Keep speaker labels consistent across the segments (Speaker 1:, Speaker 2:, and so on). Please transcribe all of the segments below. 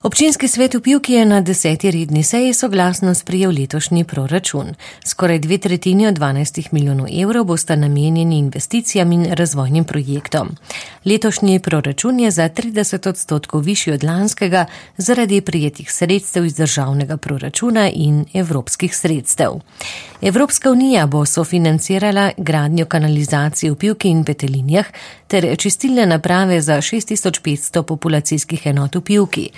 Speaker 1: Občinski svet v Pivki je na 10. redni seji soglasno sprejel letošnji proračun. Skoraj 2/3 od 12 milijonov evrov bosta namenjeni investicijam in razvojnim projektom. Letošnji proračun je za 30% višji od lanskega zaradi prijetih sredstev iz državnega proračuna in evropskih sredstev. Evropska unija bo sofinancirala gradnjo kanalizacije v Pivki in Petelinjah ter čistilne naprave za 6500 populacijskih enot v Pivki.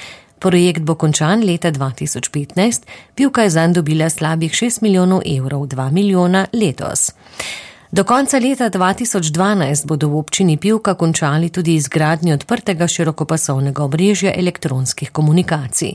Speaker 1: Projekt bo končan leta 2015, Pivka je zanj dobila slabih 6 milijonov evrov, 2 milijona letos. Do konca leta 2012 bodo v občini Pivka končali tudi izgradnjo odprtega širokopasovnega omrežja elektronskih komunikacij.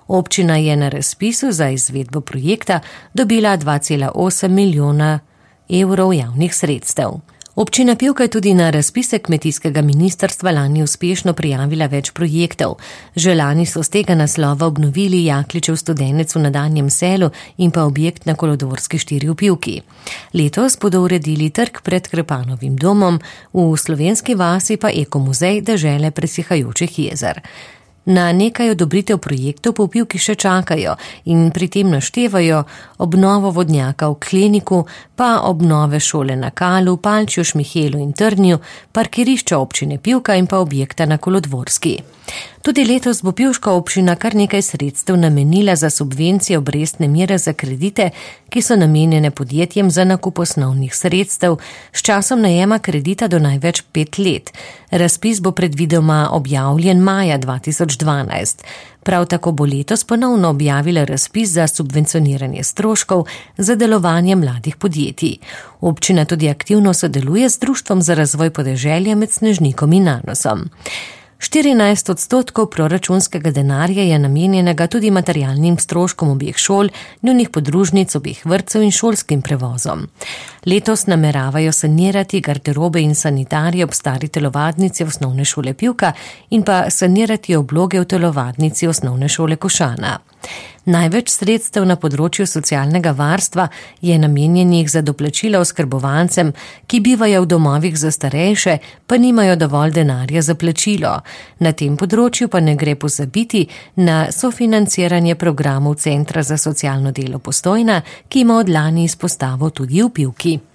Speaker 1: Občina je na razpisu za izvedbo projekta dobila 2,8 milijona evrov javnih sredstev. Občina Pivka je tudi na razpise kmetijskega ministrstva lani uspešno prijavila več projektov. Že lani so z tega naslova obnovili Jakličev studenec v Nadanjem selu in pa objekt na Kolodvorski 4 v Pivki. Letos bodo uredili trg pred Krepanovim domom, v Slovenski vasi pa ekomuzej dežele presihajočih jezer. Na nekaj odobritev projektov pa v Pivki še čakajo in pri tem naštevajo obnovo vodnjaka v Kleniku, pa obnove šole na Kalu, Palčju, Šmihelu in Trnju, parkirišča občine Pivka in pa objekta na Kolodvorski. Tudi letos bo pivška občina kar nekaj sredstev namenila za subvencije obrestne mere za kredite, ki so namenjene podjetjem za nakup osnovnih sredstev s časom najema kredita do največ 5 let. Razpis bo predvidoma objavljen maja 2012. Prav tako bo letos ponovno objavila razpis za subvencioniranje stroškov za delovanje mladih podjetij. Občina tudi aktivno sodeluje z Društvom za razvoj podeželja med Snežnikom in Nanosom. 14% proračunskega denarja je namenjenega tudi materialnim stroškom obeh šol, njunih podružnic, obeh vrtcev in šolskim prevozom. Letos nameravajo sanirati garderobe in sanitarije ob stari telovadnici osnovne šole Pivka in pa sanirati obloge v telovadnici osnovne šole Košana. Največ sredstev na področju socialnega varstva je namenjenih za doplačila oskrbovancem, ki bivajo v domovih za starejše, pa nimajo dovolj denarja za plačilo. Na tem področju pa ne gre pozabiti na sofinanciranje programov Centra za socialno delo Postojna, ki ima od lani izpostavo tudi v Pivki.